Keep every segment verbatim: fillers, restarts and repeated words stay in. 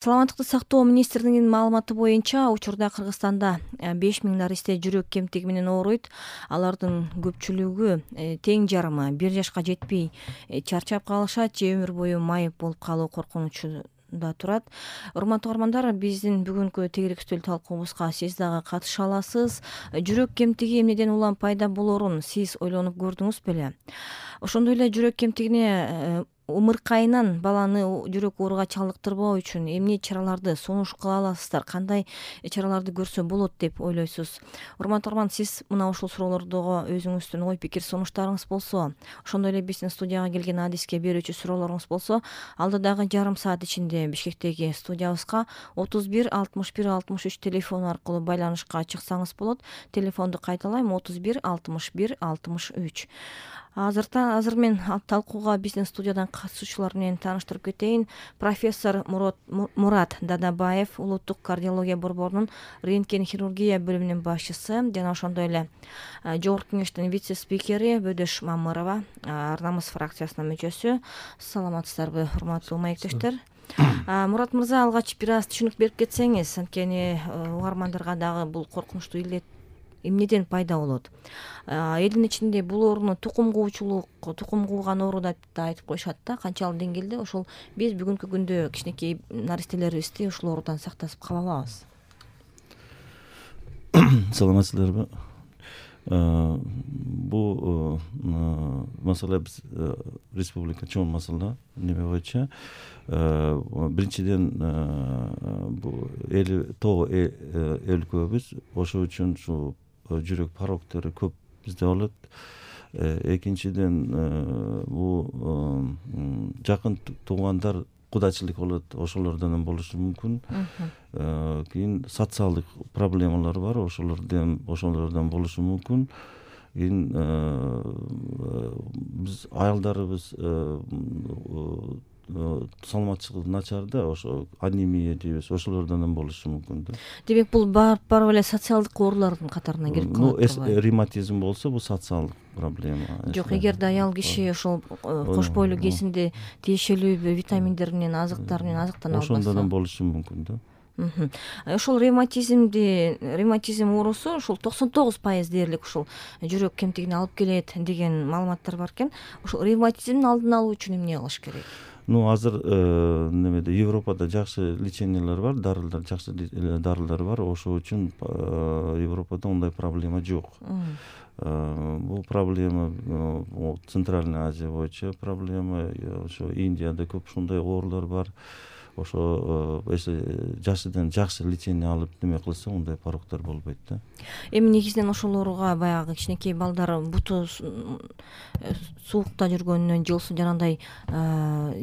Саламаттыкты сактоо министрлигинин маалыматы боюнча учурда Кыргызстанда беш миң наристе жүрөк кемтиги менен ооруйт. Алардын көпчүлүгү тең жарымы бир жашка жетпей чарчап калышат же өмүр бою майып болуп калуу коркунучунда турат. Урматтуу угармандар, биздин бүгүнкү тегерек үстөл талкуубузга сиз дагы катыша аласыз. Жүрөк кемтиги эмнеден улам пайда болоорун сиз ойлонуп көрдүңүз беле? Ошондой эле жүрөк кемтигине умыркайынан баланы жүрөк ооруга чалдыктырбоо үчүн эмне чараларды сунуш кыла аласыздар, кандай чараларды көрсө болот деп ойлойсуз? Урматтуу угарман, сиз мына ушул суроолордо өзүңүздүн ой пикир сунуштарыңыз болсо, ошондой эле биздин студияга келген адиске берүүчү суроолоруңуз болсо, алдыдагы жарым саат ичинде Бишкектеги студиябызга отуз бир алтымыш бир алтымыш үч телефону аркылуу байланышка чыксаңыз болот. Телефонду кайталайм: отуз бир алтымыш бир алтымыш үч. Азырта азыр мен талкууга биздин студиядан катышуучулар менен тааныштырып кетейин. Профессор Мурат Мурат Дадабаев, улуттук кардиология борборунун рентген хирургия бөлүмүнүн башчысы, жана ошондой эле жогорку кеңештин вице-спикери Бөдөш Мамырова, Ар намыс фракциясынын мүчөсү. Саламатсыздарбы, урматтуу маектештер? Мурат мырза, алгач бир аз түшүнүк берип кетсеңиз, анткени угармандарга дагы бул коркунучтуу илет эмнеден пайда болот? Элдин ичинде бул ооруну тукум куучулук, тукум кууган оору деп да айтып коюшат да. Канчалык деңгээлде ошол биз бүгүнкү күндө кичинекей наристелерибизди ушул оорудан сактап кала алабыз? Саламатсыздарбы? Бул маселе биз республика чоң маселе неме боюнча. Биринчиден бул эл тоо өлкөбүз, ошол үчүн ушу жүрөк пороктору көп бизде болот. Экинчиден бул жакын туугандар, кудачылык болот, ошолордон болушу мүмкүн. Кийин социалдык проблемалар бар, ошолордон ошолордон болушу мүмкүн. Кийин биз аялдарыбыз саламатчылыгы начар да, ошо анемия дейбиз, ошолордон болушу мүмкүн да. Демек, бул барып барып эле социалдык оорулардын катарына кирип калат турбайбы? Ну, ревматизм болсо, бул социалдык проблема. Жок, эгерде аял киши ошол кош бойлуу кесинде тиешелүү витаминдер менен, азыктар менен азыктана албаса, ошондон болушу мүмкүн да. Ошол ревматизмди, ревматизм оорусу ушул токсон тогуз пайыз дээрлик ушул жүрөк кемтигине алып келет деген маалыматтар бар экен. Ушул ревматизмдин алдын алуу үчүн эмне кылыш керек? Ну, азыр немеде Европада жакшы лечениялар бар, дарылар, жакшы дарылар бар. Ошол үчүн Европада ондай проблема жок. Бул проблема Центральный Азия боюнча проблема, ошо Индияда көп ушундай оорулар бар. Ошо если жашыдан жакшы лечение алып неме кылса, ондай пороктор болбойт да. Эми негизинен ошол ооруга баягы кичинекей балдар буту суукта жүргөнүнөн же жанагындай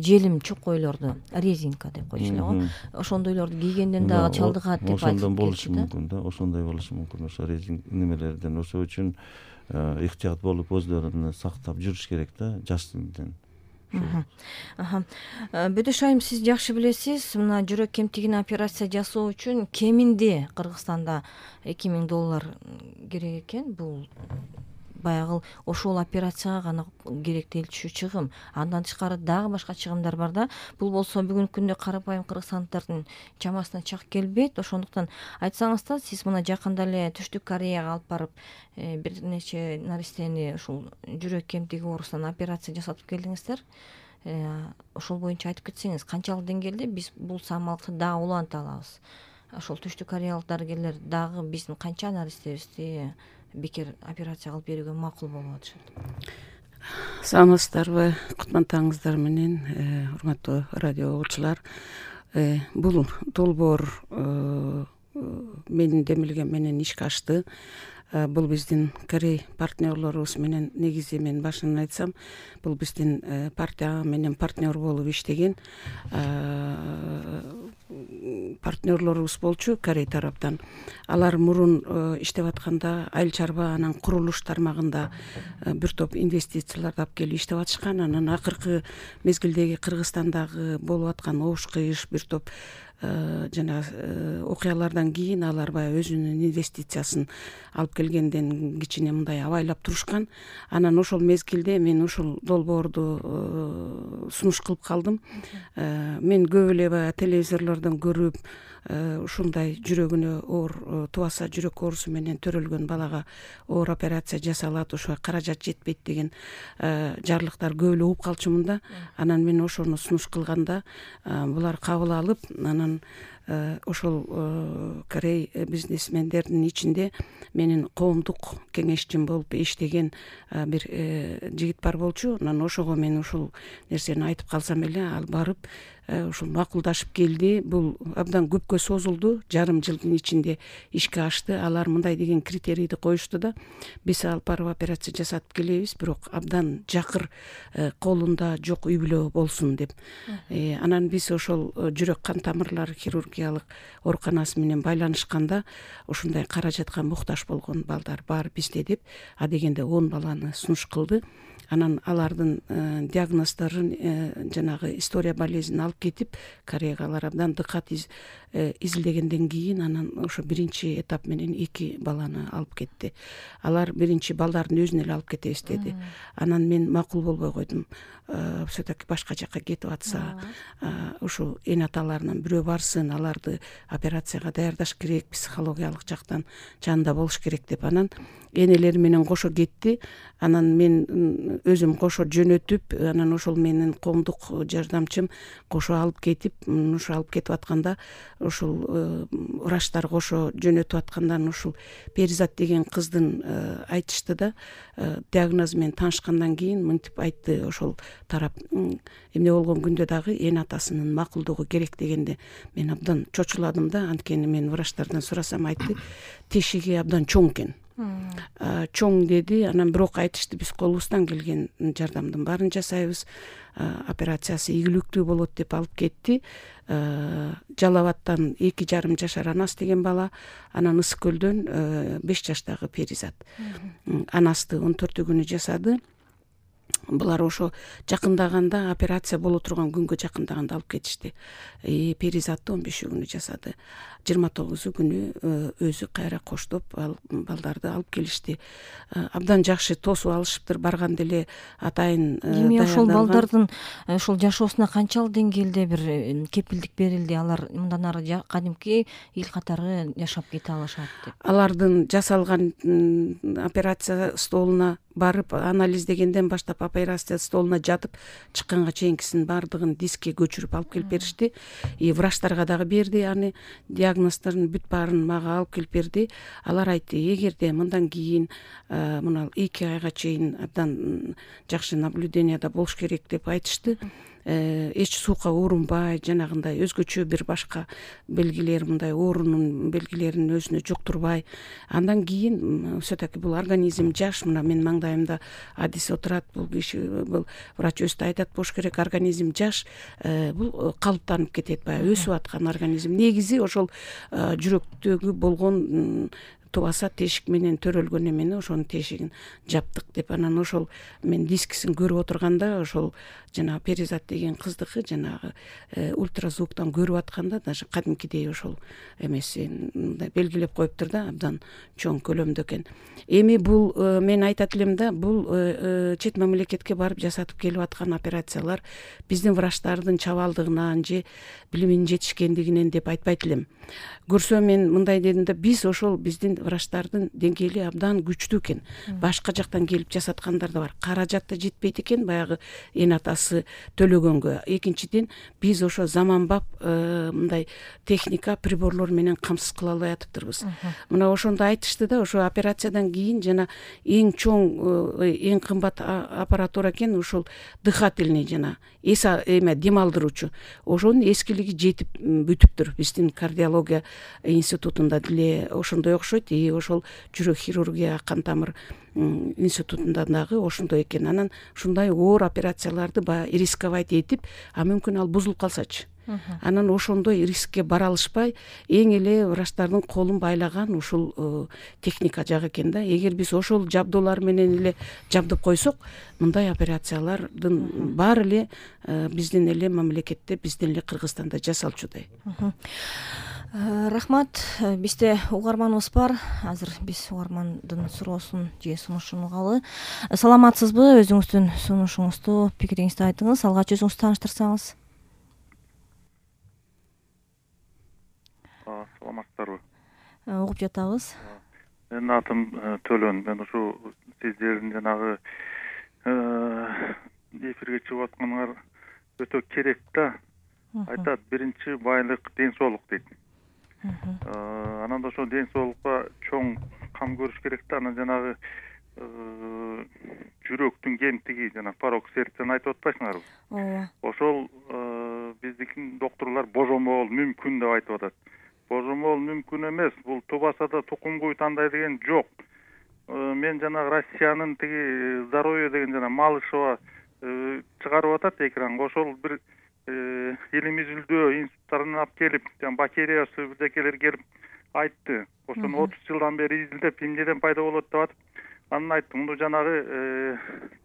желим чокойлорду, резинка деп коюшу эле го, ошондойлорду кийгенден дагы чалдыгат деп айтып ошондон болушу мүмкүн да. Ошондой болушу мүмкүн, ошо резин немелерден. Ошол үчүн ыктыят болуп өздөрүн сактап жүрүш керек да, жаштыгынан. Бөдөш айым, сиз жакшы билесиз, мына жүрөк кемтигине операция жасоо үчүн кеминде Кыргызстанда эки миң доллар керек экен. Бул баягы ошол операцияга гана керектелчү чыгым. Андан тышкары дагы башка чыгымдар бар да. Бул болсо бүгүнкү күндө карапайым кыргызстандыктардын чамасына чак келбейт. Ошондуктан айтсаңыз да, сиз мына жакында эле Түштүк Кореяга алып барып бир нече наристени ушул жүрөк кемтиги оорусунан операция жасатып келдиңиздер. Ошол боюнча айтып кетсеңиз, канчалык деңгээлде биз бул самалыкты дагы уланта алабыз? Ошол Түштүк Кореялык дарыгерлер дагы биздин канча наристебизди бекер операция кылып берүүгө макул болуп атышат? Саламатсыздарбы, кутмандооңуздар менен, урматтуу радио угуучулар. Бул долбоор менин демилгем менен ишке ашты. Бул биздин Корей партнерлорубуз менен, негизи мен башынан айтсам, бул биздин партия менен партнер болуп иштеген партнерлорубуз болчу Корей тараптан. Алар мурун иштеп атканда айыл чарба, анан курулуш тармагында бир топ инвестицияларды алып келип иштеп атышкан. Анан акыркы мезгилдеги Кыргызстандагы болуп аткан оош кыйыш, бир топ жана окуялардан кийин алар баягы өзүнүн инвестициясын алып келгенден кичине мындай абайлап турушкан. Анан ошол мезгилде мен ушул долбоорду сунуш кылып калдым. Мен көп эле баягы телевизорлордон көрүп, ушундай жүрөгүнө оор тубаса жүрөк оорусу менен төрөлгөн балага оор операция жасалат, ошого каражат жетпейт деген жарлыктар көп эле угуп калчумун да. Анан мен ошону сунуш кылганда булар кабыл алып, анан ошол Корей бизнесмендердин ичинде менин коомдук кеңешчим болуп иштеген бир жигит бар болчу. Анан ошого мен ушул нерсени айтып калсам эле, ал барып ушул макулдашып келди. Бул абдан көпкө созулду, жарым жылдын ичинде ишке ашты. Алар мындай деген критерийди коюшту да: биз алып барып операция жасатып келебиз, бирок абдан жакыр, колунда жок үй бүлө болсун деп. Анан биз ошол жүрөк кан тамырлар хирургиялык ооруканасы менен байланышканда ушундай каражатка муктаж болгон балдар бар бизде деп, а дегенде он баланы сунуш кылды. Анан алардын диагноздорун, жанагы история болезнин алып кетип, Кореяга алар абдан дыкат изилдегенден кийин анан ошо биринчи этап менен эки баланы алып кетти. Алар биринчи балдардын өзүн эле алып кетебиз деди. Анан мен макул болбой койдум. Все-таки башка жака кетип атса, ушу эн аталарынан бирөө барсын, аларды операцияга даярдаш керек, психологиялык жактан жанында болуш керек деп. Анан энелери менен кошо кетти. Анан мен өзүм кошо жөнөтүп, анан ошол менин коомдук жардамчым кошо алып кетип, ушу алып кетип атканда, ушул врачтар кошо жөнөтүп аткандан ушул Перизат деген кыздын айтышты да, диагнозу менен таанышкандан кийин мынтип айтты ошол тарап: эмне болгон күндө дагы эн атасынын макулдугу керек дегенде мен абдан чочуладым да. Анткени мен врачтардан сурасам, айтты тешиги абдан чоң экен. Чоң деди. Анан бирок айтышты, биз колубуздан келген жардамдын баарын жасайбыз, операциясы ийгиликтүү болот деп алып кетти. Жалал Абадтан эки жарым жашар Анас деген бала, анан Ысык Көлдөн беш жаштагы Перизат. Анасты он төртү күнү жасады. Булар ошо жакындаганда, операция боло турган күнгө жакындаганда алып кетишти. Перизатты он беш күнү жасады. жыйырма тогузу күнү өзү кайра коштоп балдарды алып келишти. Абдан жакшы тосуп алышыптыр. Барганда эле атайын эми ошол балдардын ошол жашоосуна канчалык деңгээлде бир кепилдик берилди? Алар мындан ары кадимки эл катары жашап кете алышат деп. Алардын жасалган операция столуна барып анализдегенден баштап операция столуна жатып чыкканга чейинкисин баардыгын дискке көчүрүп алып келип беришти. И врачтарга дагы берди, аны диагноздорун бүт баарын мага алып келип берди. Алар айтты, эгерде мындан кийин мына эки айга чейин абдан жакшы наблюденияда болуш керек деп айтышты. Эч суукка уурунбай, жанагындай өзгөчө бир башка белгилер, мындай оорунун белгилерин өзүнө жоктурбай. Андан кийин все-таки бул организм жаш. Мына мен маңдайымда адис отурат, бул киши, бул врач өзү да айтат болуш керек, организм жаш, бул калыптанып кетет, баягы өсүп аткан организм. Негизи ошол жүрөктөгү болгон тубаса тешик менен төрөлгөн эмени, ошонун тешигин жаптык деп. Анан ошол мен дискисин көрүп отурганда, ошол жана Перизат деген кыздыкы жанагы ультразвуктан көрүп атканда даже кадимкидей ошол эмесин мындай белгилеп коюптур да, абдан чоң көлөмдө экен. Эми бул мен айтат элем да, бул чет мамлекетке барып жасатып келип аткан операциялар биздин врачтардын чабалдыгынан же билиминин жетишкендигинен деп айтпайт элем. Көрсө мен мындай дедим да, биз ошол биздин врачтардын деңгээли абдан күчтүү экен. Башка жактан келип жасаткандар да бар. Каражат да жетпейт экен баягы эн атасы төлөгөнгө. Экинчиден, биз ошо заманбап мындай техника, приборлор менен камсыз кыла албай атыптырбыз. Мына ошондо айтышты да, ошо операциядан кийин жана эң чоң, эң кымбат аппаратура экен ошол дыхательный, жана эс эме дем алдыруучу. Ошонун эскилиги жетип бүтүптүр. Биздин кардиология институтунда деле ошондой окшойт. И ошол жүрөк хирургия, кан тамыр институтунда дагы ошондой экен. Анан ушундай оор операцияларды баягы рисковать этип, а мүмкүн ал бузулуп калсачы, анан ошондой рискке бара алышпай эң эле врачтардын колун байлаган ушул техника жагы экен да. Эгер биз ошол жабдуулар менен эле жабдып койсок, мындай операциялардын баары эле биздин эле мамлекетте, биздин эле Кыргызстанда жасалчудай. Рахмат. Бизде угарманыбыз бар. Азыр биз угармандын суроосун же сунушун угалы. Саламатсызбы? Өзүңүздүн сунушуңузду, пикириңизди айтыңыз. Алгач өзүңүздү тааныштырсаңыз. Саламатсыздарбы? Угуп жатабыз. Менин атым Төлөн. Мен ушу сиздердин жанагы эфирге чыгып атканыңар өтө керек да. Айтат, биринчи байлык ден соолук дейт. Анан да ошо ден соолукка чоң кам көрүш керек да. Анан жанагы жүрөктүн кемтиги, жана порок сердцени айтып атпайсыңарбы? Ооба. Ошол биздики доктурлар божомол мүмкүн деп айтып атат. Божомол мүмкүн эмес, бул тубаса да тукум-куй тандай деген жок. Мен жанагы Россиянын тиги здоровье деген жана Малышева чыгарып атат экранга. Ошол бир илим изилдөө институттарынан алып келип, жана бактериясы бирдекелер келип айтты. Ошону отуз жылдан бери изилдеп, эмнеден пайда болот деп атып, анан айттым, муну жанагы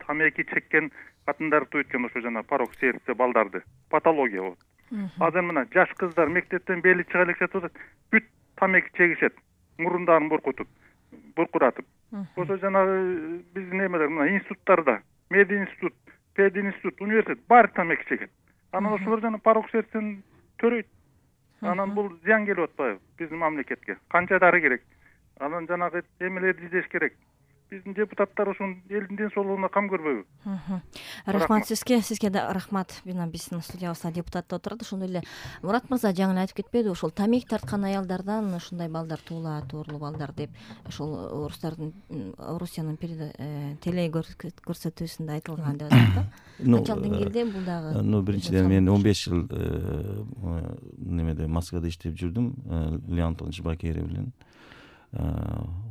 тамеки чеккен катындар туйткан ошо жана порок сердце балдарды. Патология болот. Азыр мына жаш кыздар мектептен бели чыга элек жатып атат, бүт тамеки чегишет, мурундарын буркутуп, буркуратып. Ошо жанагы биздин эмелер мына институттарда, мединститут, пединститут, университет баары тамеки чегет. Анан ошолор жана порок сердцени төрөйт. Анан бул зыян келип атпайбы биздин мамлекетке? Канча дары керек? Анан жанагы эмелерди издеш керек. Биздин депутаттар ушун элдин ден соолугуна кам көрбөйбү? Рахмат сизге. Сизге да рахмат. Бина биздин студиябызда депутат отурат. Ошондой эле Мурат мырза жаңы эле айтып кетпеди, ошол тамеки тарткан аялдардан ушундай балдар туулат, оорлуу балдар деп. Ошол орустардын, Орусиянын теле көрсөтүүсүндө айтылган деп атат да. Канчалык деңгээлде бул дагы? Ну, биринчиден мен он беш жыл немеде Москвада иштеп жүрдүм, Леон Антонович Бакеров менен.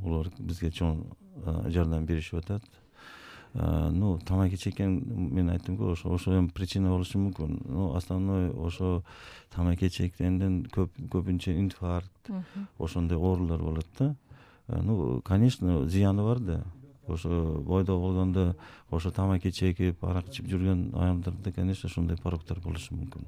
Улар бизге чоң жардам беришип атат. Ну, тамаки чеккен, мен айттым го, ошо ошо эми причина болушу мүмкүн. Ну, основной ошо тамаки чеккенден көп көбүнчө инфаркт, ошондой оорулар болот да. Ну, конечно, зыяны бар да. Ошо бойдо болгондо ошо тамаки чегип, арак ичип жүргөн аялдарда, конечно, ошондой пороктор болушу мүмкүн.